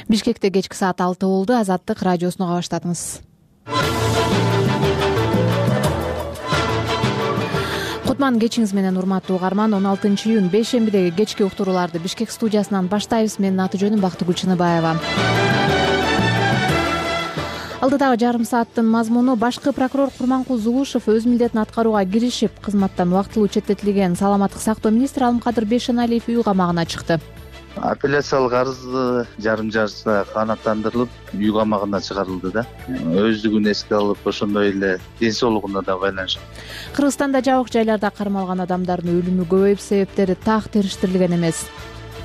Бишкекте кечки саат 6 болду. Азаттык радиосуну уга баштадыңыз. Кутман кечиңиз менен урматтуу угарман. 16-июнь бейшембидеги кечки уктурууларды Бишкек студиясынан баштайбыз. Менин аты жөнүм Бактыгүл Чыныбаева. Алдыдагы жарым сааттын мазмуну: башкы прокурор Курманкул Зулушев өз милдетин аткарууга киришип, кызматтан убактылуу четтетилген саламаттык сактоо министри Алымкадыр Бейшеналиев үй камагына чыкты. Апелляциялык арызы жарым жарча канааттандырылып, үй камагына чыгарылды да. Өздүгүн эске алып, ошондой эле ден соолугуна да байланыштуу. Кыргызстанда жабык жайларда кармалган адамдардын өлүмү көбөйүп, себептери так териштирилген эмес.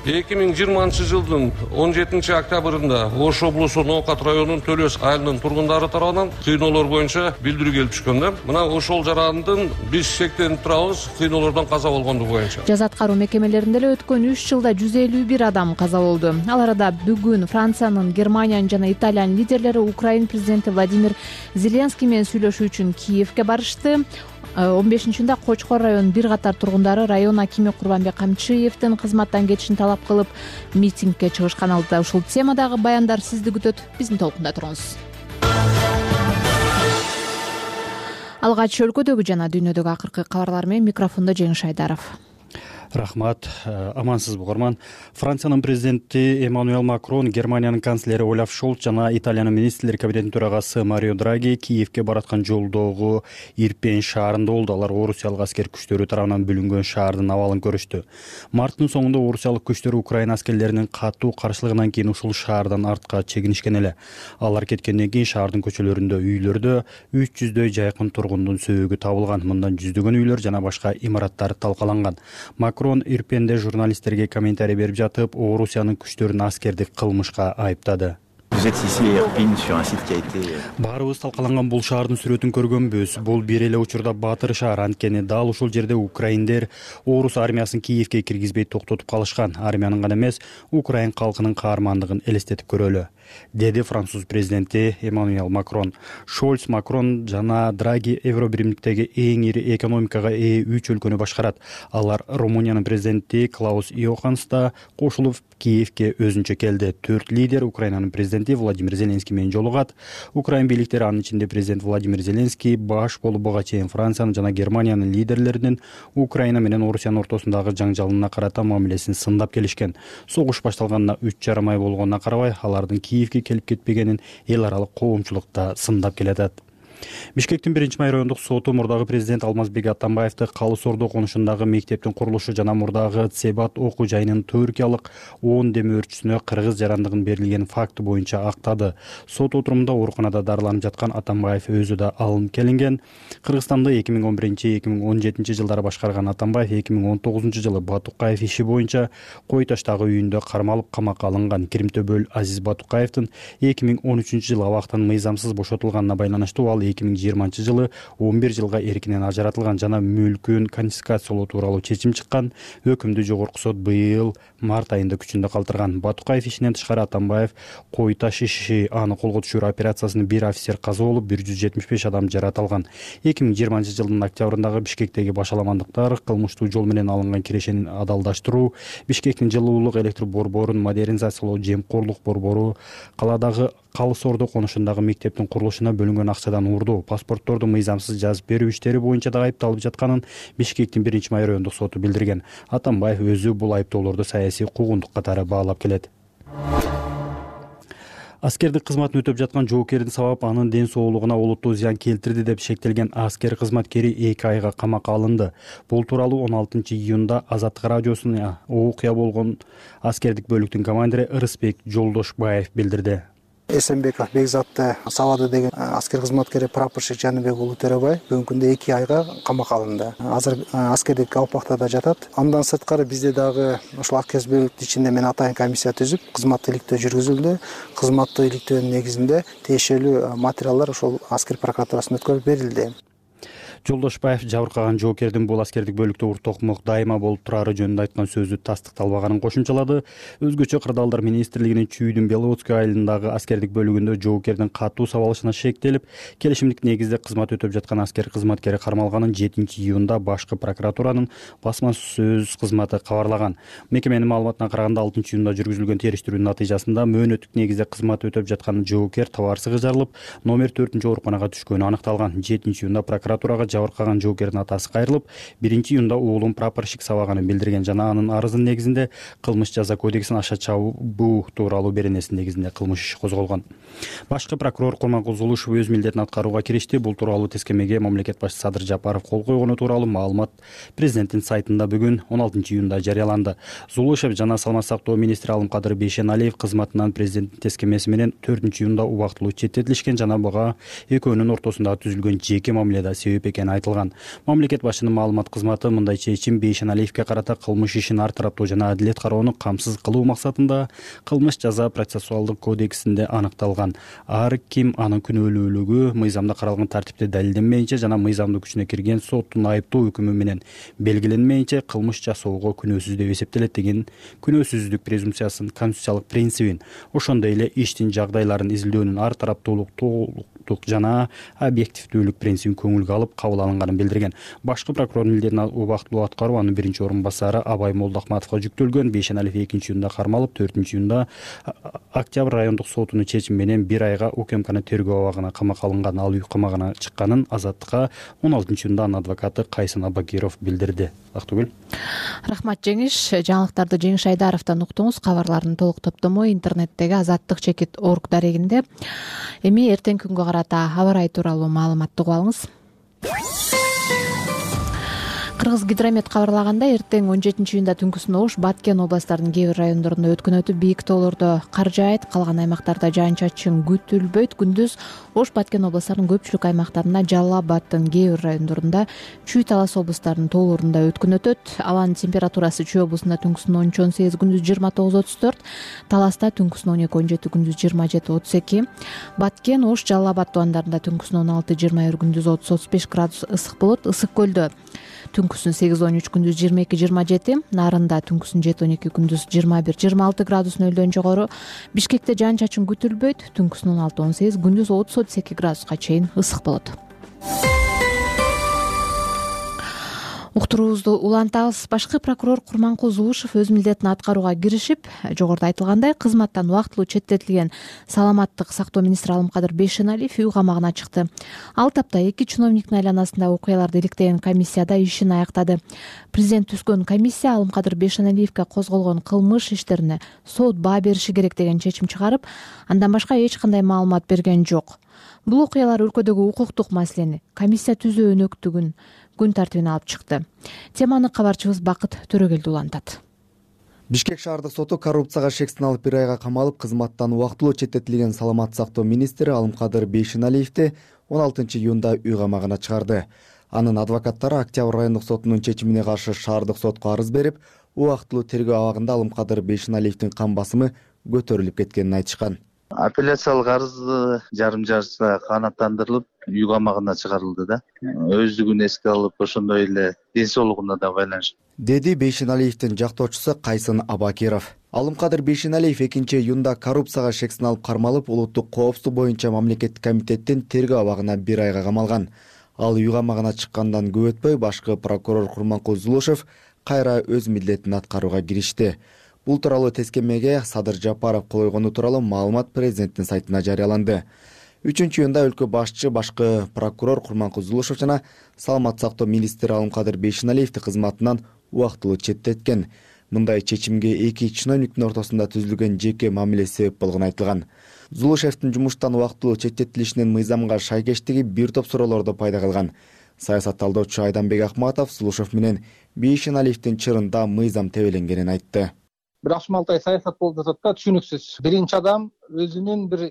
2020 жылдын 17 октябрында Ош облусу Ноокат районунун Төлөс айылынын тургундары тарабынан кыйноолор боюнча билдирүү келип түшкөн да. Мына ошол жарандын биз шектенип турабыз, кыйноолордон каза болгондугу боюнча. Жаза аткаруу мекемелеринде эле өткөн 3 жылда 151 адам каза болду. Ал арада бүгүн Франциянын, Германиянын жана Италиянын лидерлери Украина президенти Владимир Зеленский менен сүйлөшүү үчүн Киевке барышты. 15-чында Кочкор районунун бир катар тургундары район акими Курбанбек Камчыевдин кызматтан кетишин талап кылып митингге чыгышкан. Алдыда ушул темадагы баяндар сизди күтөт. Биздин толкунда туруңуз. Алгач өлкөдөгү жана дүйнөдөгү акыркы кабарлар менен микрофондо Жеңиш Айдаров. Рахмат, амансызбы угарман. Франциянын президенти Эммануэл Макрон, Германиянын канцлери Олаф Шольц жана Италиянын министрлер кабинетинин төрагасы Марио Драги Киевке бараткан жолдогу Ирпень шаарында болду. Алар орусиялык аскер күчтөрү тарабынан бүлүнгөн шаардын абалын көрүштү. Марттын соңунда орусиялык күчтөр Украина аскерлеринин катуу каршылыгынан кийин ушул шаардан артка чегинишкен эле. Алар кеткенден кийин шаардын көчөлөрүндө, үйлөрдө 300дөй жайкын тургундун сөөгү табылган. Мындан жүздөгөн үйлөр жана башка имараттар талкаланган. Макрон Ирпенде журналисттерге комментарий берип жатып, Орусиянын күчтөрүн аскердик кылмышка айыптады. Баарыбыз талкаланган бул шаардын сүрөтүн көргөнбүз. Бул бир эле учурда баатыр шаар, анткени дал ушул жерде украиндер орус армиясын Киевке киргизбей токтотуп калышкан. Армиянын гана эмес, Украин калкынын каармандыгын элестетип көрөлү, деди француз президенти Эммануэл Макрон. Шольц, Макрон жана Драги Евробиримдиктеги эң ири экономикага ээ 3 өлкөнү башкарат. Алар Румыниянын президенти Клаус Йоханс да кошулуп Киевке өзүнчө келди. 4 лидер Украинанын президенти Владимир Зеленский менен жолугат. Украин бийликтери, анын ичинде президент Владимир Зеленский баш болуп буга чейин Франциянын жана Германиянын лидерлеринин Украина менен Орусиянын ортосундагы жаңжалына карата мамилесин сындап келишкен. Согуш башталганына 3,5 ай болгонуна карабай, алардын Киевке келип кетпегенин эл аралык коомчулукта сындап келатат. Бишкектин 1-май райондук соту мурдагы президент Алмазбек Атамбаевди Калыс Ордо конушундагы мектептин курулушу жана мурдагы Цебат окуу жайынын түркиялык 10 деме өртчүсүнө кыргыз жарандыгын берилген факты боюнча актады. Сот отурумунда ооруканада дарыланып жаткан Атамбаев өзү да алынып келинген. Кыргызстанды 2011-2017 жылдары башкарган Атамбаев 2019 жылы Батукаев иши боюнча Кой Таштагы үйүндө кармалып камакка алынган. Киримтөбөл Азиз Батукаевдин 2013 жылы абактан мыйзамсыз бошотулганына байланыштуу ал 2020 жылы 11 жылга эркинен ажыратылган жана мүлкүн конфискациялоо тууралуу чечим чыккан. Өкүмдү жогорку сот быйыл март айында күчүндө калтырган. Батукаев ишинен тышкары Атамбаев Кой Таш иши, аны колго түшүрүү операциясында бир офицер каза болуп, 175 адам жаратылган. 2020 жылдын октябрындагы Бишкектеги башаламандыктар, кылмыштуу жол менен алынган кирешенин адалдаштыруу, Бишкектин жылуулук электр борборун модернизациялоо, жемкорлук борбору, каладагы Калыс Ордо конушундагы мектептин курулушуна бөлүнгөн акчадан урдоо, паспортторду мыйзамсыз жазып берүү иштери боюнча да айыпталып жатканын Бишкектин 1-май райондук соту билдирген. Атамбаев өзү бул айыптоолорду саясий куугунтук катары баалап келет. Аскердик кызматын өтөп жаткан жоокердин сабап анын ден соолугуна олуттуу зыян келтирди деп шектелген аскер кызматкери 2 айга камакка алынды. Бул тууралуу 16-июнда Азаттык радиосуна окуя болгон аскердик бөлүктүн командири Ырысбек Жолдошбаев билдирди. Эсенбеков Бекзатты сабады деген аскер кызматкери прапорщик Жаныбек уулу Төрөбай бүгүнкү күндө 2 айга камакка алынды. Азыр аскердик абактада жатат. Андан сырткары бизде дагы ошол аскер бөлүктүн ичинде мен атайын комиссия түзүп, кызматтык иликтөө жүргүзүлдү. Кызматтык иликтөөнүн негизинде тиешелүү материалдар ошол аскер прокуратурасына өткөрүп берилди. Жолдошбаев жабыркаган жоокердин бул аскердик бөлүктө уртокмок дайыма болуп турары жөнүндө айткан сөзү тастыкталбаганын кошумчалады. Өзгөчө Кырдаалдар министрлигинин Чүйдүн Беловодской айылындагы аскердик бөлүгүндө жоокердин катуу сабалышына шектелип, келишимдик негизде кызмат өтөп жаткан аскер кызматкери кармалганын 7-июнда башкы прокуратуранын басма сөз кызматы кабарлаган. Мекеменин маалыматына караганда 6-июнда жүргүзүлгөн териштирүүнүн натыйжасында мөөнөттүк негизде кызмат өтөп жаткан жоокер табарсызга жарылып, номер 4-ооруканага түшкөнү аныкталган. 7-июнда прокуратурага жабыркаган жоокердин атасы кайрылып, 1-июнда уулум прапорщик сабаганын билдирген жана анын арызынын негизинде кылмыш жаза кодексинин аша чабуу тууралуу беренесинин негизинде кылмыш иши козголгон. Башкы прокурор Курманкул Зулушев өз милдетин аткарууга киришти. Бул тууралуу тескемеге мамлекет башчысы Садыр Жапаров кол койгону тууралуу маалымат президенттин сайтында бүгүн 16-июнда жарыяланды. Зулушев жана Саламаттык сактоо министри Алымкадыр Бейшеналиев кызматынан президенттин тескемеси менен 4-июнда убактылуу четтетилишкен жана буга экөөнүн ортосунда түзүлгөн жеке мамиледа себеп экени айтылган. Мамлекет башчынын маалымат кызматы мындай чечим Бейшеналиевке карата кылмыш ишин ар тараптуу жана адилет кароону камсыз кылуу максатында кылмыш жаза процессуалдык кодексинде аныкталган. Ар ким анын күнөөлүүлүгү мыйзамда каралган тартипте далилденмейинче жана мыйзамдуу күчүнө кирген соттун айыптоо өкүмү менен белгиленмейинче кылмыш жасоого күнөөсүз деп эсептелет деген күнөөсүздүк презумпциясынын конституциялык принцибин, ошондой эле иштин жагдайларын изилдөөнүн ар тараптуулук, толуктук жана объективдүүлүк принцибин көңүлгө алып кабыл алынганын билдирген. Башкы прокурор милдетин убактылуу аткаруу анын 1-орун басары Абай Молдохматовго жүктөлгөн. Бейшеналиев 2-июнда кармалып, 4-июнда Октябрь райондук сотунун чечими менен 1 айга УКМКнын тергөө абагына камакка алынган. Ал үй камагына чыкканын Азаттыкка 16-июнда анын адвокаты Кайсын Абакиров билдирди. Актыгүл. Рахмат Жеңиш. Жаңылыктарды Жеңиш Айдаровдон уктуңуз. Кабарлардын толук топтому интернеттеги azattik.org дарегинде. Эми эртеңки күнгө карата аба ырайы тууралуу маалыматты угуп алыңыз. Кыргыз гидромет кабарлагандай, эртең 17-июнда түнкүсүн Ош, Баткен областарынын кээ бир райондорунда өткөн өтүп, бийик тоолордо кар жаайт, калган аймактарда жаан-чачын күтүлбөйт. Күндүз Ош, Баткен областарынын көпчүлүк аймактарында, Жалал Абаддын кээ бир райондорунда, Чүй, Талас областарынын тоолорунда өткөн өтөт. Абанын температурасы Чүй облусунда түнкүсүн 13-18, күндүз 29-34, Таласта түнкүсүн 12-17, күндүз 27-32, Баткен, Ош, Жалал Абад тубандарында түнкүсүн 16-21, күндүз 30-35 градус ысык болот. Ысык көлдө түнкүсүн 8-13, күндүз 22-27, Нарында түнкүсүн 7-12, күндүз 21-26 градус нөлдөн жогору. Бишкекте жаан-чачын күтүлбөйт, түнкүсүн 16-18, күндүз 30-32 градуска чейин ысык болот. Уктуруубузду улантабыз. Башкы прокурор Курманкул Зулушев өз милдетин аткарууга киришип, жогоруда айтылгандай, кызматтан убактылуу четтетилген Саламаттык сактоо министри Алымкадыр Бейшеналиев үй камагына чыкты. Ал тапта 2 чиновниктин айланасында окуяларды иликтеген комиссияда ишин аяктады. Президент түзгөн комиссия Алымкадыр Бейшеналиевке козголгон кылмыш иштерине сот баа бериши керек деген чечим чыгарып, андан башка эч кандай маалымат берген жок. Бул окуялар өлкөдөгү укуктук маселени, комиссия түзүү өнөктүгүн күн тартибине алып чыкты. Теманы кабарчыбыз Бакыт Төрөгелди улантат. Бишкек шаардык соту коррупцияга шек сыналып 1 айга камалып, кызматтан убактылуу четтетилген Саламаттык сактоо министри Алымкадыр Бейшеналиевди 16-июнда үй камагына чыгарды. Анын адвокаттары Октябрь райондук сотунун чечимине каршы шаардык сотко арыз берип, убактылуу тергөө абагында Алымкадыр Бейшеналиевдин кан басымы көтөрүлүп кеткенин айтышкан. Апелляциялык арыз жарым жартысына канааттандырылып, үй камагына чыгарылды да. Өздүгүн эске алып, ошондой эле ден соолугуна да байланыштуу, деди Бейшеналиевдин жактоочусу Кайсын Абакиров. Алымкадыр Бейшеналиев 2-июнда коррупцияга шек сыналып кармалып, улуттук коопсуздук боюнча мамлекеттик комитеттин тергөө абагына 1 айга камалган. Ал үй камагына чыккандан көп өтпөй башкы прокурор Курманкул Зулушев кайра өз милдетин аткарууга киришти. Бул тууралуу тескемеге Садыр Жапаров кол койгону тууралуу маалымат президенттин сайтына жарыяланды. 3-июнда өлкө башчы башкы прокурор Курманкул Зулушев жана Саламаттык сактоо министри Алымкадыр Бейшеналиевди кызматынан убактылуу четтеткен. Мындай чечимге 2 чиновниктин ортосунда түзүлгөн жеке мамиле себеп болгону айтылган. Зулушевдин жумуштан убактылуу четтетилишинин мыйзамга шайкештиги бир топ суроолорду пайда кылган. Саясат талдоочу Айданбек Акматов Зулушев менен Бейшеналиевдин чырында мыйзам тебеленгенин айтты. Бир ашмалтай саясат болуп жатат да, түшүнүксүз. Биринчи адам өзүнүн бир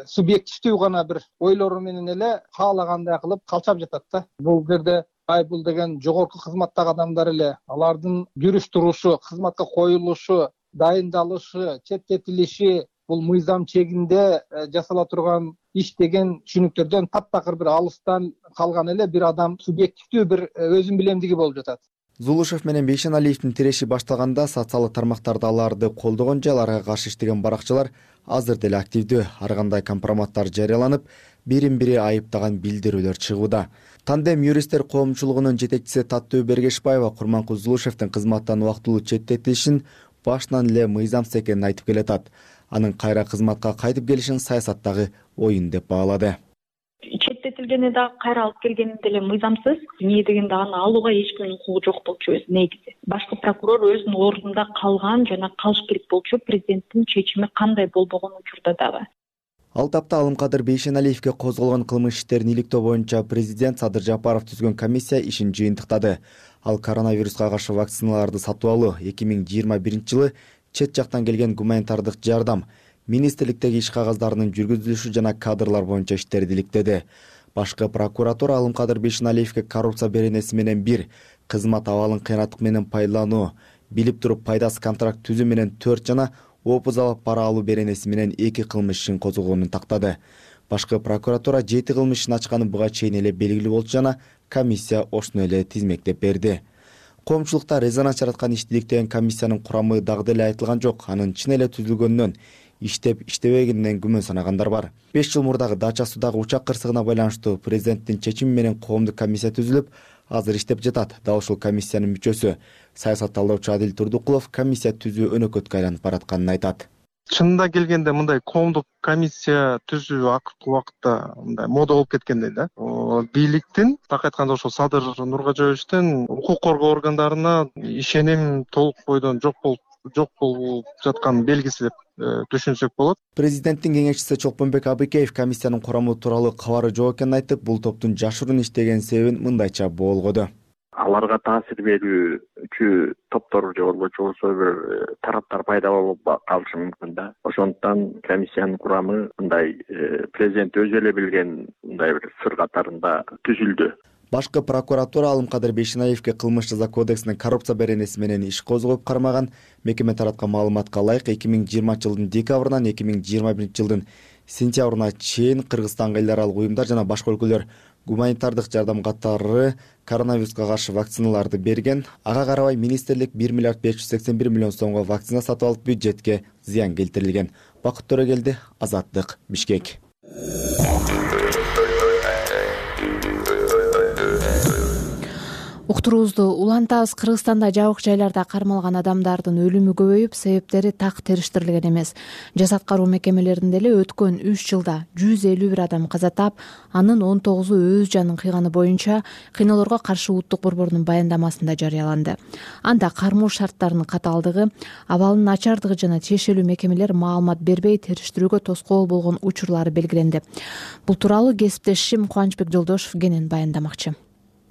субъективдүү гана бир ойлору менен эле каалагандай кылып калчап жатат да. Бул жерде бул деген жогорку кызматтагы адамдар эле, алардын жүрүш турушу, кызматка коюлушу, дайындалышы, четтетилиши, бул мыйзам чегинде жасала турган иш деген түшүнүктөрдөн таптакыр бир алыстан калган эле бир адам субъективдүү бир өзүн билемдиги болуп жатат. Зулушев менен Бейшеналиевдин тиреши башталганда социалдык тармактарда аларды колдогон же аларга каршы иштеген баракчылар азыр деле активдүү. Ар кандай компроматтар жарыяланып, бирин бири айыптаган билдирүүлөр чыгууда. Тандем юристтер коомчулугунун жетекчиси Таттуу Бергешбаева Курманкул Зулушевдин кызматтан убактылуу четтетилишин башынан эле мыйзамсыз экенин айтып келатат. Анын кайра кызматка кайтып келишин саясаттагы оюн деп баалады. Четтетилгени да кайра алып келгени деле мыйзамсыз. Эмне дегенде аны алууга эч кимдин укугу жок болчу өзү негизи. Башкы прокурор өзүнүн ордунда калган жана калыш керек болчу. Президенттин чечими кандай болбогон учурда дагы. Ал тапта Алымкадыр Бейшеналиевге козголгон кылмыш иштерин иликтөө боюнча президент Садыр Жапаров түзгөн комиссия ишин жыйынтыктады. Ал коронавируска каршы вакциналарды сатып алуу 2021-жылы чет жактан келген гуманитардык жардам, министрликтеги иш кагаздарынын жүргүзүлүшү жана кадрлар боюнча иштерди иликтеди. Башкы прокуратура Алымкадыр Бейшеналиевге коррупция беренеси менен 1, кызмат абалын кыйнаттык менен пайдалануу, билип туруп пайдасыз контракт түзүү менен 4 жана опуз алып пара алуу беренеси менен 2 кылмыш ишин козгогонун тактады. Башкы прокуратура 7 кылмыш ишин ачканы буга чейин эле белгилүү болчу жана комиссия ошону эле тизмектеп берди. Коомчулукта резонанс жараткан ишти иликтеген комиссиянын курамы дагы деле айтылган жок. Анын чын эле түзүлгөнүнөн, иштеп иштебегенинен күмөн санагандар бар. 5 жыл мурдагы Дача суудагы учак кырсыгына байланыштуу президенттин чечими менен коомдук комиссия түзүлүп, азыр иштеп жатат. Дал ушул комиссиянын мүчөсү саясат талдаучу Адил Турдукулов комиссия түзүү өнөкөткө айланып баратканын айтат. Чынында келгенде мындай коомдук комиссия түзүү акыркы убакытта мындай мода болуп кеткендей да. Бийликтин, так айтканда ошол Садыр Нургажоевичтин укук коргоо органдарына ишеним толук бойдон жок болуп жаткан белгиси деп түшүнсөк болот. Президенттин кеңешчиси Чолпонбек Абыкеев комиссиянын курамы тууралуу кабары жок экенин айтып, бул топтун жашыруун иштеген себебин мындайча болгоду. Аларга таасир берүүчү топтор же болбосо бир тараптар пайда болуп калышы мүмкүн да. Ошондуктан комиссиянын курамы мындай президент өзү эле билген мындай бир сыр катарында түзүлдү. Башкы прокуратура Алымкадыр Бейшеналиевге кылмыш жаза кодексинин коррупция беренеси менен иш козгоп кармаган. Мекеме тараткан маалыматка ылайык 2020-жылдын декабрынан 2021-жылдын сентябрына чейин Кыргызстанга эл аралык уюмдар жана башка өлкөлөр гуманитардык жардам катары коронавируска каршы вакциналарды берген. Ага карабай министрлик 1 миллиард 581 миллион сомго вакцина сатып алып бюджетке зыян келтирилген. Бакыт Төрөгелди, Азаттык, Бишкек. Уктуруубузду улантабыз. Кыргызстанда жабык жайларда кармалган адамдардын өлүмү көбөйүп, себептери так териштирилген эмес. Жасак кароо мекемелеринде эле өткөн 3 жылда 151 адам каза таап, анын 19-у өз жанын кыйганы боюнча кыйноолорго каршы улуттук борбордун баяндамасында жарыяланды. Анда кармоо шарттарынын катаалдыгы, абалынын начардыгы жана тиешелүү мекемелер маалымат бербей териштирүүгө тоскоол болгон учурлары белгиленди. Бул тууралуу кесиптешим Кубанычбек Жолдошев кенен баяндамакчы.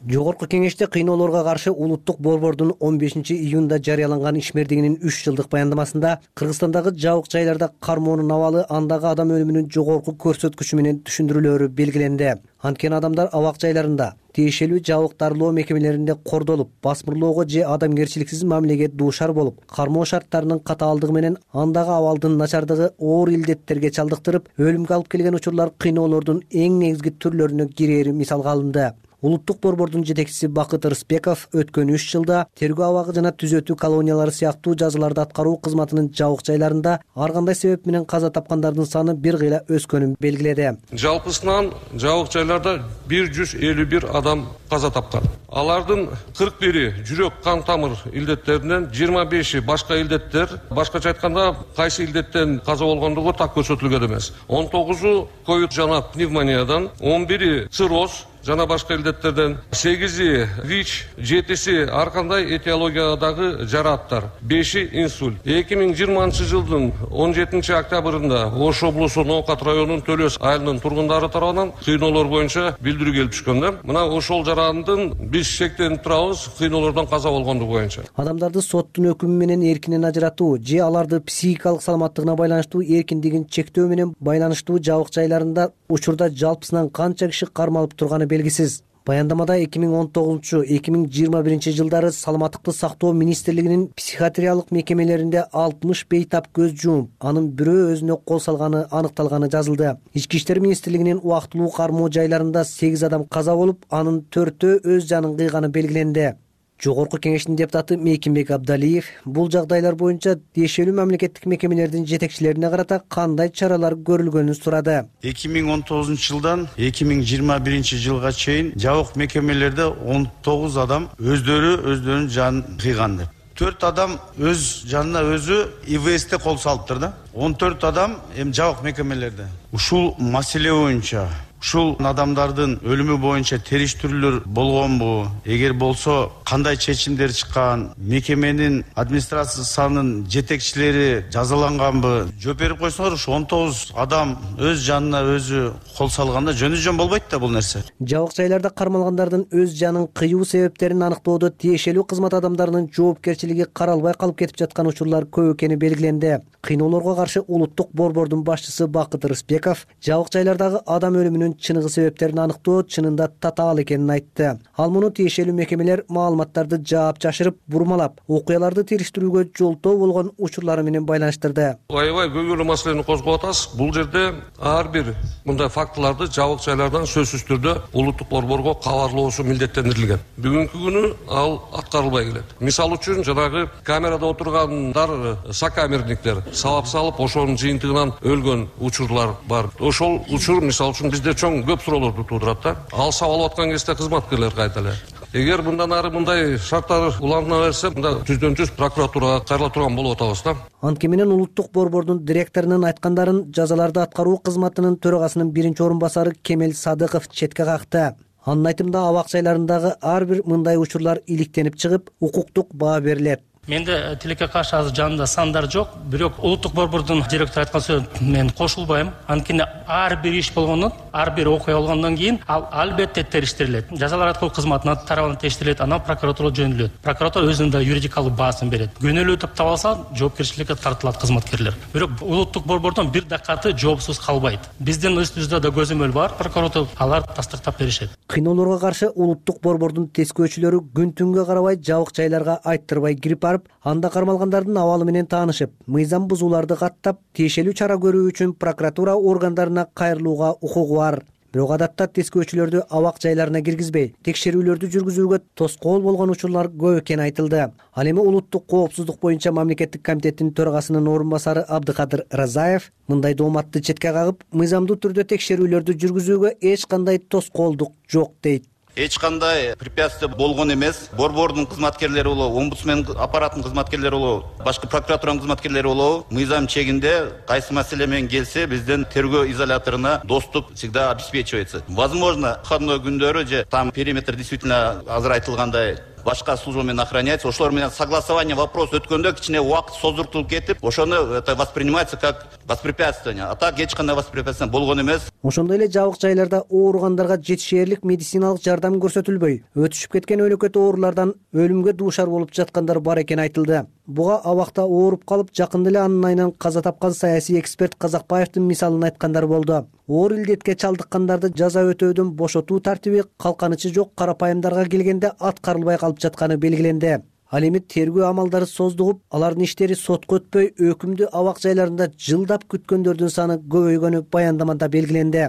Жогорку кеңеште кыйноолорго каршы улуттук борбордун 15-июнда жарыяланган ишмердигинин 3 жылдык баяндамасында Кыргызстандагы жабык жайларда кармоонун абалы андагы адам өлүмүнүн жогорку көрсөткүчү менен түшүндүрүлөөрү белгиленди. Анткени адамдар абак жайларында, тиешелүү жабык дарылоо мекемелеринде кордолуп, басмырлоого же адамгерчиликсиз мамилеге дуушар болуп, кармоо шарттарынын катаалдыгы менен андагы абалдын начардыгы оор илдеттерге чалдыктырып, өлүмгө алып келген учурлар кыйноолордун эң негизги түрлөрүнө кирери мисалга алынды. Улуттук борбордун жетекчиси Бакыт Рыспеков өткөн 3 жылда тергөө абагы жана түзөтүү колониялары сыяктуу жазаларды аткаруу кызматынын жабык жайларында ар кандай себеп менен каза тапкандардын саны бир кыйла өскөнүн белгиледи. Жалпысынан жабык жайларда 151 адам каза тапкан. Алардын 41-и жүрөк кан тамыр илдеттеринен, 25-и башка илдеттер, башкача айтканда кайсы илдеттен каза болгондугу так көрсөтүлгөн эмес. 19-у ковид жана пневмониядан, 11-и цирроз жана башка илдеттерден, 8-и ВИЧ, 7-си ар кандай этиологиядагы жарааттар, 5-и инсульт. 2020-жылдын 17-октябрында Ош облусу Ноокат районунун Төлөс айылынын тургундары тарабынан кыйноолор боюнча билдирүү келип түшкөн. Мына ошол жарандын биз шектенип турабыз кыйноолордон каза болгондугу боюнча. Адамдарды соттун өкүмү менен эркинен ажыратуу же аларды психикалык саламаттыгына байланыштуу эркиндигин чектөө менен байланыштуу жабык жайларында учурда жалпысынан канча киши кармалып турганы белгисиз. Баяндамада 2019-2021 жылдары саламаттыкты сактоо министрлигинин психиатриялык мекемелеринде 60 бейтап көз жумуп, анын бирөө өзүнө кол салганы аныкталганы жазылды. Ички иштер министрлигинин убактылуу кармоо жайларында 8 адам каза болуп, анын 4-өө өз жанын кыйганы белгиленди. Жогорку кеңештин депутаты Мейкинбек Абдалиев бул жагдайлар боюнча тиешелүү мамлекеттик мекемелердин жетекчилерине карата кандай чаралар көрүлгөнүн сурады. 2019 жылдан 2021 жылга чейин жабык мекемелерде 19 адам өздөрүнүн жанын кыйган деп. 4 адам өз жанына өзү ИВСте кол салыптыр да. 14 адам жабык мекемелерде. Ушул маселе боюнча ушул адамдардын өлүмү боюнча териштирүүлөр болгонбу? Эгер болсо, кандай чечимдер чыккан? Мекеменин администрациянын жетекчилери жазаланганбы? Жооп берип койсоңор, ушу 19 адам өз жанына өзү кол салганда жөн болбойт да бул нерсе. Жабык жайларда кармалгандардын өз жанын кыюу себептерин аныктоодо тиешелүү кызмат адамдарынын жоопкерчилиги каралбай калып кетип жаткан учурлар көп экени белгиленди. Кыйноолорго каршы улуттук борбордун башчысы Бакыт Рыспеков жабык жайлардагы адам өлүмүнүн чыныгы себептерин аныктоо чынында татаал экенин айтты. Ал муну тиешелүү мекемелер маалыматтарды жаап жашырып, бурмалап, окуяларды териштирүүгө жолтоо болгон учурлары менен байланыштырды. Аябай көңүлүү маселени козгоп атасыз. Бул жерде ар бир мындай фактыларды жабык жайлардан сөзсүз түрдө улуттук борборго кабарлоосу милдеттендирилген. Бүгүнкү күнү ал аткарылбай келет. Мисал үчүн жанагы камерада отургандар сокамерниктер сабап салып, ошонун жыйынтыгынан өлгөн учурлар бар. Ошол учур мисал үчүн бизде чоң көп суроолорду туудурат да. Ал сабалып аткан кезде кызматкерлер кайда эле? Эгер мындан ары мындай шарттар улана берсе, мында жүздөн-жүз прокуратурага кайрыла турган болуп атабыз да. Анткени менен улуттук борбордун директорунун айткандарын жазаларды аткаруу кызматынын төрагасынын биринчи орун басары Кемел Садыков четке какты. Анын айтымында абак жайларындагы ар бир мындай учурлар иликтенип чыгып, укуктук баа берилет. Менде тилекке каршы азыр жанында сандар жок, бирок улуттук борбордун директору айткан сөзүн мен кошулбайм. Анткени ар бир иш болгондон, ар бир окуя болгондон кийин ал албетте териштирилет. Жазалар аткаруу кызматына тарабынан териштирилет, анан прокуратурага жөнөтүлөт. Прокуратура өзүнүн да юридикалык баасын берет. Күнөөлүү деп табылса, жоопкерчиликке тартылат кызматкерлер. Бирок улуттук борбордон бир дакаты жоопсуз калбайт. Биздин үстүбүздө да көзөмөл бар, прокуратура алар тастыктап беришет. Кыйноолорго каршы улуттук борбордун тескөөчүлөрү күн-түнгө карабай жабык жайларга айттырбай кирип анда кармалгандардын абалы менен таанышып, мыйзам бузууларды каттап, тиешелүү чара көрүү үчүн прокуратура органдарына кайрылууга укугу бар. Бирок адатта тескөөчүлөрдү абак жайларына киргизбей, текшерүүлөрдү жүргүзүүгө тоскоол болгон учурлар көп экени айтылды. Ал эми улуттук коопсуздук боюнча мамлекеттик комитеттин төрагасынын орун басары Абдыкадыр Разаев мындай дооматты четке кагып, мыйзамдуу түрдө текшерүүлөрдү жүргүзүүгө эч кандай тоскоолдук жок дейт. Эч кандай препятствие болгон эмес. Борбордун кызматкерлери болобу, омбудсмен аппаратынын кызматкерлери болобу, башка прокуратуранын кызматкерлери болобу, мыйзам чегинде кайсы маселе менен келсе, биздин тергөө изоляторуна доступ всегда обеспечивается. Возможно, выходной күндөрү же там периметр действительно азыр айтылгандай башка служба менен охраняется. Ошолор менен согласование вопрос өткөндө кичине убакыт создуртулуп кетип, ошону это воспринимается как воспрепятствие. А так эч кандай воспрепятствие болгон эмес. Ошондой эле жабык жайларда ооругандарга жетишээрлик медициналык жардам көрсөтүлбөй, өтүшүп кеткен өлөкөт оорулардан өлүмгө дуушар болуп жаткандар бар экени айтылды. Буга абакта ооруп калып, жакында эле анын айынан каза тапкан саясий эксперт Казакбаевдин мисалын айткандар болду. Оор илдетке чалдыккандарды жаза өтөөдөн бошотуу тартиби калканычы жок карапайымдарга келгенде аткарылбай калып жатканы белгиленди. Ал эми тергөө амалдары создугуп, алардын иштери сотко өтпөй, өкүмдү абак жайларында жылдап күткөндөрдүн саны көбөйгөнү баяндамада белгиленди.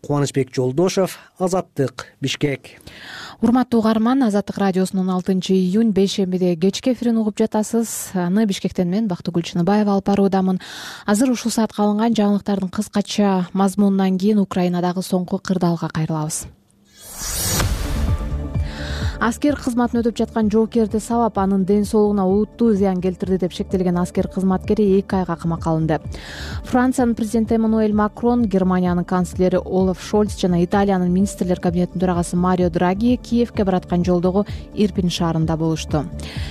Кубанычбек Жолдошов, Азаттык, Бишкек. Урматтуу угарман, Азаттык радиосунун 6-июнь бейшембиде кечки эфирин угуп жатасыз. Аны Бишкектен мен Бактыгүл Чыныбаева алып баруудамын. Азыр ушул саатка алынган жаңылыктардын кыскача мазмунунан кийин Украинадагы соңку кырдаалга кайрылабыз. Аскер кызматын өтүп жаткан жоокерди сабап, анын ден соолугуна олуттуу зыян келтирди деп шектелген аскер кызматкери 2 айга камакка алынды. Франциянын президенти Эммануэль Макрон, Германиянын канцлери Олаф Шольц жана Италиянын министрлер кабинетинин төрагасы Марио Драги Киевке бараткан жолдогу Ирпин шаарында болушту.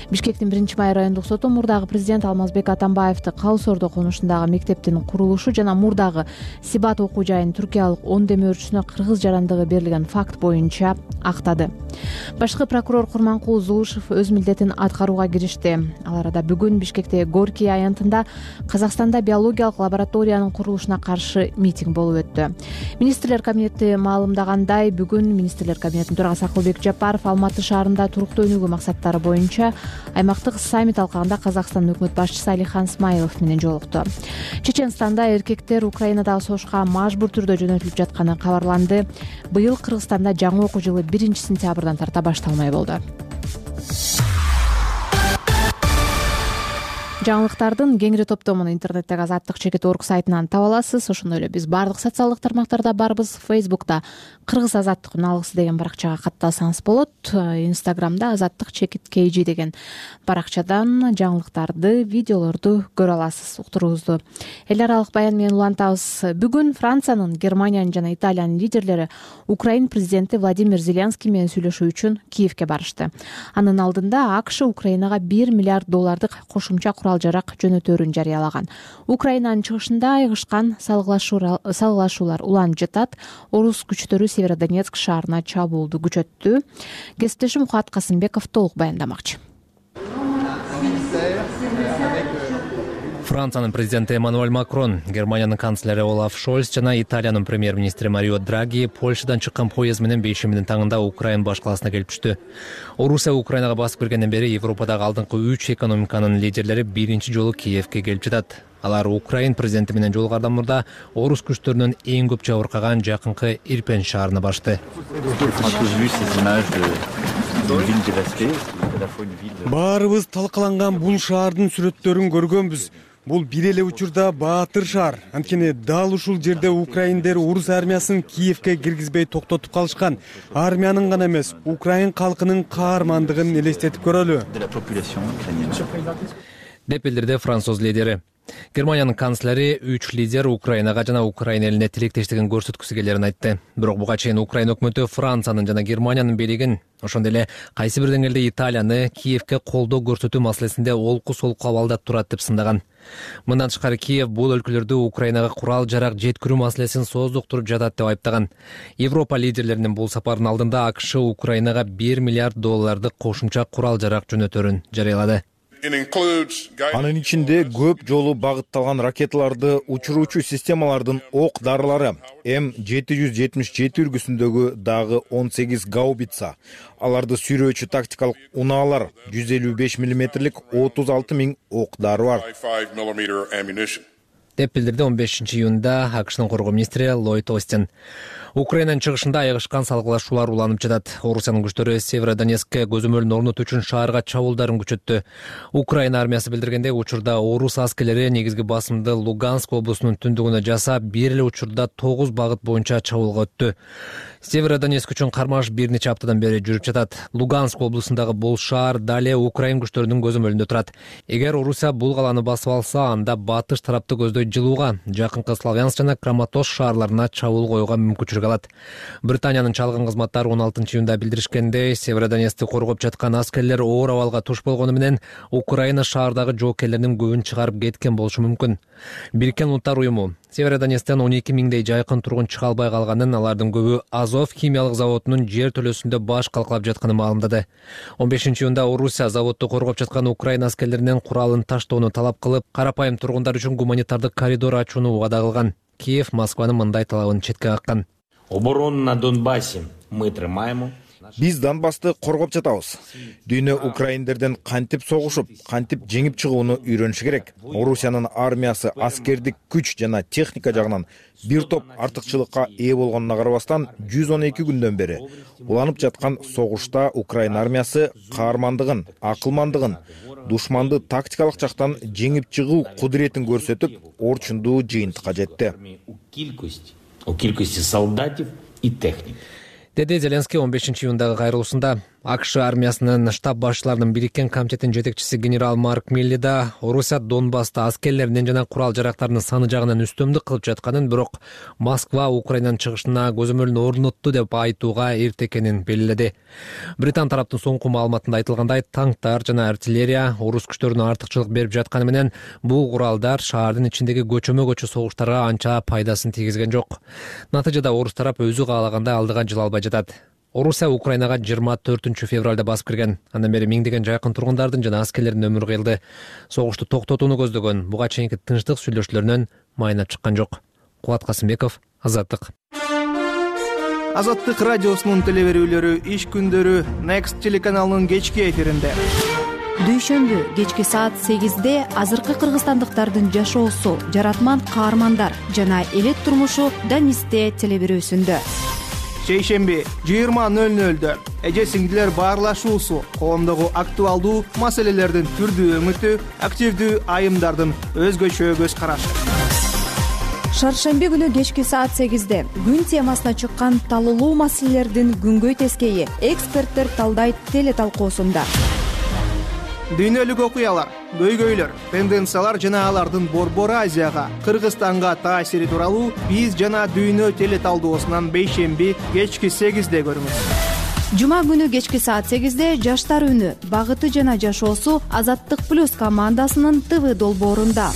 Бишкектин 1-май райондук соту мурдагы президент Алмазбек Атамбаевди Калы Сордо конушундагы мектептин курулушу жана мурдагы Сибат окуу жайынын түркиялык 10 демөөрчүсүнө кыргыз жарандыгы берилген факт боюнча актады. Башкы Башкы прокурор Курманкул Зулушев өз милдетин аткарууга киришти. Ал арада бүгүн Бишкекте Горький аянтында Казакстанда биологиялык лабораториянын курулушуна каршы митинг болуп өттү. Министрлер кабинети маалымдагандай, бүгүн Министрлер кабинетинин төрагасы Акылбек Жапаров Алматы шаарында туруктуу өнүгүү максаттары боюнча аймактык саммит алкагында Казакстандын өкмөт башчысы Алихан Смайлов менен жолукту. Чеченстанда эркектер Украинадагы согушка мажбур түрдө жөнөтүлүп жатканы кабарланды. Быйыл Кыргызстанда жаңы окуу жылы 1-сентябрдан тарта башталмай болду. Жаңылыктардын кеңири топтомун интернеттеги Азаттык.org сайтынан таба аласыз. Ошондой эле биз баардык социалдык тармактарда барбыз. Facebook'та Кыргыз Азаттык үналгысы деген баракчага каттасаңыз болот. Instagram'да Азаттык.kg деген баракчадан жаңылыктарды, видеолорду көрө аласыз. Уктуруңузду эл аралык баян менен улантабыз. Бүгүн Франциянын, Германиянын жана Италиянын лидерлери Украин президенти Владимир Зеленский менен сүйлөшүү үчүн Киевке барышты. Анын алдында АКШ Украинага $1 миллиард кошумча жарак жөнөтөрүн жарыялаган. Украинанын чыгышында айгышкан салгылашуулар уланып жатат. Орус күчтөрү Северодонецк шаарына чабуулду күчөттү. Кесиптешим Мухат Касымбеков толук баяндамакчы. Франциянын президенти Эммануэль Макрон, Германиянын канцлери Олаф Шольц жана Италиянын премьер-министри Марио Драги Польшадан чыккан поезд менен бейшембинин таңында Украин баш калаасына келип түштү. Орусия Украинага басып киргенден бери Европадагы алдыңкы 3 экономиканын лидерлери биринчи жолу Киевке келип жатат. Алар Украин президенти менен жолугардан мурда орус күчтөрүнөн эң көп жабыркаган жакынкы Ирпен шаарына барышты. Баарыбыз талкаланган бул шаардын сүрөттөрүн көргөнбүз. Бул бир эле учурда баатыр шаар. Анткени дал ушул жерде украиндер орус армиясын Киевке киргизбей токтотуп калышкан. Армиянын гана эмес, Украин калкынын каармандыгын элестетип көрөлү. Деп билдирди француз лидери. Германиянын канцлери 3 лидер Украинага жана Украин элине тилектештигин көрсөткүсү келерин айтты. Бирок буга чейин Украин өкмөтү Франциянын жана Германиянын бийлигин, ошондой эле кайсы бир деңгээлде Италияны Киевке колдоо көрсөтүү маселесинде олку-солку абалда турат деп сындаган. Мындан тышкары Киев бул өлкөлөрдү Украинага курал-жарак жеткирүү маселесин сооздуктуруп жатат деп айыптаган. Европа лидерлеринин бул сапарынын алдында АКШ Украинага $1 миллиард кошумча курал-жарак жөнөтөрүн жарыялады. Анын ичинде көп жолу багытталган ракеталарды учуруучу системалардын ок дарылары, М777 үлгүсүндөгү дагы 18 гаубица, аларды сүйрөөчү тактикалык унаалар, 155 мм 36 000 ок дары бар. Деп билдирди 15 июнда АКШнын коргоо министри Ллойд Остин. Украинанын чыгышында айгышкан салгылашуулар уланып жатат. Орусиянын күчтөрү Северодонецкке көзөмөлүн орнотуу үчүн шаарга чабуулдарын күчөттү. Украина армиясы билдиргендей, учурда орус аскерлери негизги басымды Луганск облусунун түндүгүнө жасап, бир эле учурда 9 багыт боюнча чабуулга өттү. Северодонецк үчүн кармаш бир нече аптадан бери жүрүп жатат. Луганск облусундагы бул шаар дале Украин күчтөрүнүн көзөмөлүндө турат. Эгер Орусия бул каланы басып алса, анда батыш тарапты көздөй жылууга, жакынкы Славянск жана Краматорск шаарларына чабуул коюуга мүмкүнчүлүк алат. Британиянын чалгын кызматтары 16 июнда билдиришкендей, Северодонецкти коргоп жаткан аскерлер оор абалга туш болгону менен Украина шаардагы жоокерлеринин көбүн чыгарып кеткен болушу мүмкүн. Бириккен Улуттар уюму Северодонецктен 12 000 жайкын тургун чыга албай калганын, алардын көбү Азов химиялык заводунун жер төлөсүндө баш калкалап жатканын маалымдады. 15 июнда Орусия заводду коргоп жаткан Украина аскерлеринен куралын таштоону талап кылып, карапайым тургундар үчүн гуманитардык коридор ачууну убада кылган. Киев Москванын мындай талабын четке каккан. Оборону на Донбассе мы тримаем. Биз Донбасты коргоп жатабыз. Дүйнө украиндерден кантип согушуп, кантип жеңип чыгууну үйрөнүшү керек. Орусиянын армиясы аскердик күч жана техника жагынан бир топ артыкчылыкка ээ болгонуна карабастан 112 күндөн бери уланып жаткан согушта Украина армиясы каармандыгын, акылмандыгын, душманды тактикалык жактан жеңип чыгуу кудуретин көрсөтүп, орчундуу жыйынтыкка жетти. О кількості солдатів і технік. Деди Зеленский 15 июндагы кайрылуусунда. АКШ армиясынын штаб башчыларынын бириккен комитетинин жетекчиси генерал Марк Милли да Орусия Донбасста аскерлеринин жана курал жарактарынын саны жагынан үстөмдүк кылып жатканын, бирок Москва Украинанын чыгышына көзөмөлүн орнотту деп айтууга эрте экенин белгиледи. Британ тараптын соңку маалыматында айтылгандай, танктар жана артиллерия орус күчтөрүнө артыкчылык берип жатканы менен бул куралдар шаардын ичиндеги көчөмө-көчө согуштарга анча пайдасын тийгизген жок. Натыйжада орус тарап өзү каалагандай алдыга жыла албай жатат. Орусия Украинага 24 февралда басып кирген. Андан бери миңдеген жайкын тургундардын жана аскерлердин өмүрү кыйылды. Согушту токтотууну көздөгөн буга чейинки тынчтык сүйлөшүүлөрүнөн майнап чыккан жок. Кубат Касымбеков, Азаттык. Азаттык радиосунун телеберүүлөрү иш күндөрү Next телеканалынын кечки эфиринде. Дүйшөмбү кечки саат 8-де азыркы кыргызстандыктардын жашоосу, жаратман каармандар жана элет турмушу Данисте телеберүүсүндө. Шейшемби 20:00 эже сиңдилер баарлашуусу, коомдогу актуалдуу маселелердин түрдүү өңүтү, активдүү айымдардын өзгөчө көз карашы. Шаршемби күнү кечки саат 8-де күн темасына чыккан талуулуу маселелердин күнгөй тескейи эксперттер талдайт теле талкуусунда. Дүйнөлүк окуялар, көйгөйлөр, тенденциялар жана алардын Борбор Азияга, Кыргызстанга таасири тууралуу биз жана дүйнө теле талдоосунан бейшемби кечки 8-де көрүңүз. Жума күнү кечки саат 8-де жаштар үнү, багыты жана жашоосу Азаттык плюс командасынын ТВ долбоорунда.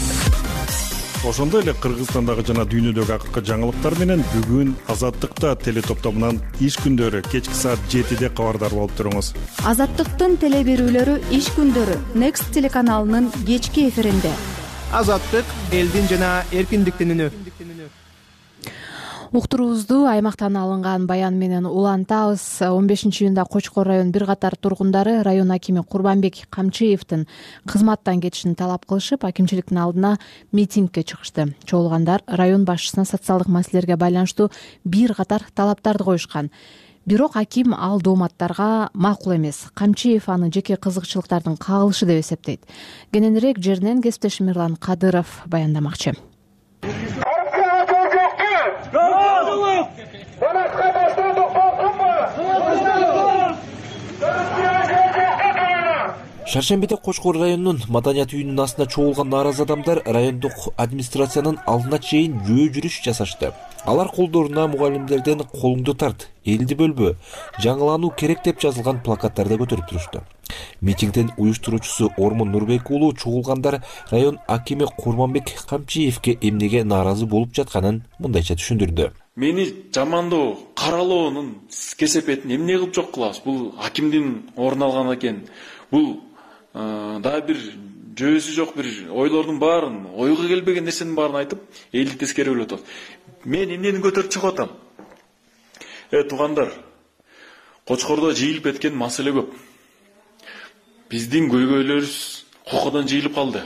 Ошондой эле Кыргызстандагы жана дүйнөдөгү акыркы жаңылыктар менен бүгүн Азаттыкта теле топтомунан иш күндөрү кечки саат 7-де кабардар болуп туруңуз. Азаттыктын теле берүүлөрү иш күндөрү Next телеканалынын кечки эфиринде. Азаттык элдин жана эркиндиктин үнү. Уктуруубузду аймактан алынган баян менен улантабыз. 15-июнда Кочкор район бир катар тургундары район акими Курбанбек Камчиевдин кызматтан кетишин талап кылышып, акимчиликтин алдына митингге чыгышты. Чогулгандар район башчысына социалдык маселелерге байланыштуу бир катар талаптарды коюшкан. Бирок аким ал дооматтарга макул эмес. Камчиев аны жеке кызыкчылыктардын кагылышы деп эсептейт. Кененирээк жеринен кесиптешим Мирлан Кадыров баяндамакчы. Шаршембиде Кочкор районунун маданият үйүнүн астына чогулган нааразы адамдар райондук администрациянын алдына чейин жөө жүрүш жасашты. Алар колдоруна мугалимдерден колуңду тарт, элди бөлбө, жаңылануу керек деп жазылган плакаттарды көтөрүп турушту. Митингдин уюштуруучусу Ормон Нурбек уулу чогулгандар район акими Курманбек Камчиевке эмнеге нааразы болуп жатканын мындайча түшүндүрдү. Мени жамандоо, каралоонун кесепетин эмне кылып жок кылабыз? Бул акимдин орун алган экен. Бул дагы бир жөөсү жок бир ойлордун баарын, ойго келбеген нерсенин баарын айтып, элди тескерелеп атат. Мен эмнени көтөрүп чыгып атам? Туугандар, Кочкордо жыйылып кеткен маселе көп. Биздин көйгөйлөрүбүз кокодон жыйылып калды.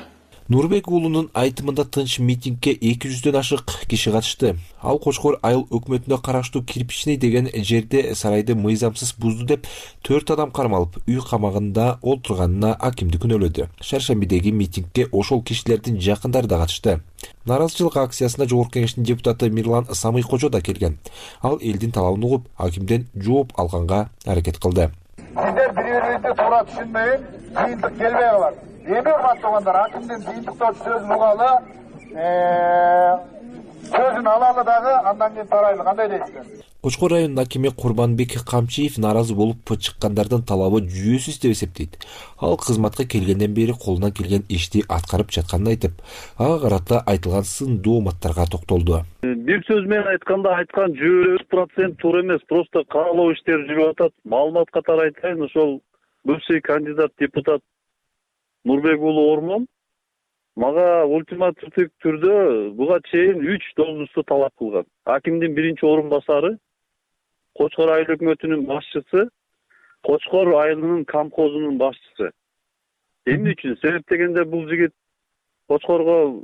Нурбек уулунун айтымында тынч митингке 200дөн ашык киши катышты. Ал Кочкор айыл өкмөтүнө караштуу Кирпичный деген жерде сарайды мыйзамсыз бузду деп 4 адам кармалып, үй камагында олтурганына акимди күнөөлөдү. Шаршембидеги митингке ошол кишилердин жакындары да катышты. Нааразычылык акциясына Жогорку Кеңештин депутаты Мирлан Самыйкожо да келген. Ал элдин талабын угуп, акимден жооп алганга аракет кылды. Сиздер бири-бирибизди туура түшүнбөйүн, кыйынтык келбей калат. Эми урматтуугандар, акимдин кыйынтыктоочу сөзүн угалы, сөзүн алалы дагы, андан кийин тарайлы. Кандай дейсиздер? Кочкор районунун акими Курбанбек Камчиев нааразы болуп чыккандардын талабы жүйөсүз деп эсептейт. Ал кызматка келгенден бери колунан келген ишти аткарып жатканын айтып, ага карата айтылган сын дооматтарга токтолду. Бир сөз менен айтканда айткан 100% туура эмес, просто каралоо иштери жүрүп атат. Маалымат катары айтайын, ошол бывший кандидат депутат Нурбек уулу Ормон мага ультимативдик түрдө буга чейин 3 должносту талап кылган. Акимдин биринчи орун басары, Кочкор айыл өкмөтүнүн башчысы, Кочкор айылынын камкозунун башчысы. Эмне үчүн? Себеп дегенде бул жигит Кочкорго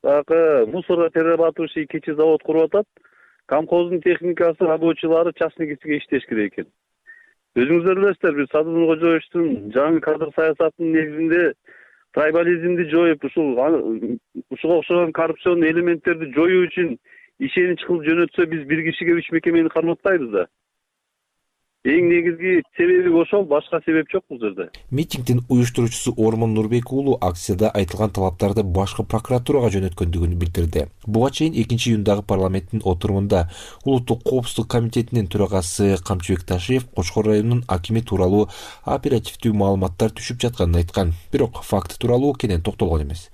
мусор перерабатывающий кечи завод куруп атат. Камкоздун техникасы, рабочийлары частный кесипке иштеш керек экен. Өзүңүздөр билесиздер, биз Садыр Кожоевичтин жаңы кадр саясатынын негизинде трайбализмди жоюп, ушуга окшогон коррупцион элементтерди жоюу үчүн ишенич кылып жөнөтсө, биз бир кишиге 3 мекемени карматпайбыз да. Эң негизги себеби ошол, башка себеп жок бул жерде. Митингдин уюштуруучусу Ормон Нурбек уулу акцияда айтылган талаптарды башкы прокуратурага жөнөткөндүгүн билдирди. Буга чейин 2-июндагы парламенттин отурумунда Улуттук коопсуздук комитетинин төрагасы Камчыбек Ташиев Кочкор районунун акими тууралуу оперативдүү маалыматтар түшүп жатканын айткан. Бирок факт тууралуу кенен токтолгон эмес.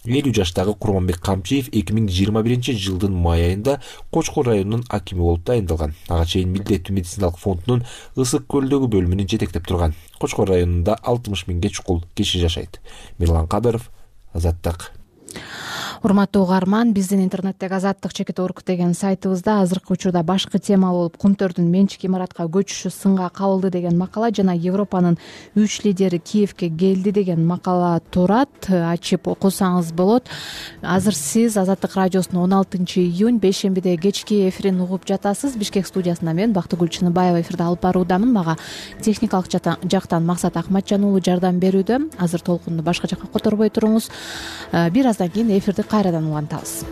50 жаштагы Курманбек Камчиев 2021 май айында Кочкор районунун акими болуп тайындалган. Ага чейин Милдеттүү медициналык фондунун Ысык көлдөгү бөлүмүнүн жетектеп турган. Кочкор районунда 60 миңге чукул киши жашайт. Мирлан Кадыров, Азаттык. Урматтуу угарман, биздин интернеттеги azattik.org деген сайтыбызда азыркы учурда башкы тема болуп Кумтөрдүн менчик имаратка көчүшү сынга кабылды деген макала жана Европанын 3 лидери Киевке келди деген макала турат. Ачып окусаңыз болот. Азыр сиз Азаттык радиосунун 16-июнь бейшембиде кечки эфирин угуп жатасыз. Бишкек студиясында мен Бактыгүл Чыныбаева эфирди алып баруудамын. Мага техникалык жактан Максат Акматжан уулу жардам берүүдө. Азыр толкунду башка жакка которбой туруңуз. Бир аздан кийин эфирди кайрадан улантабыз.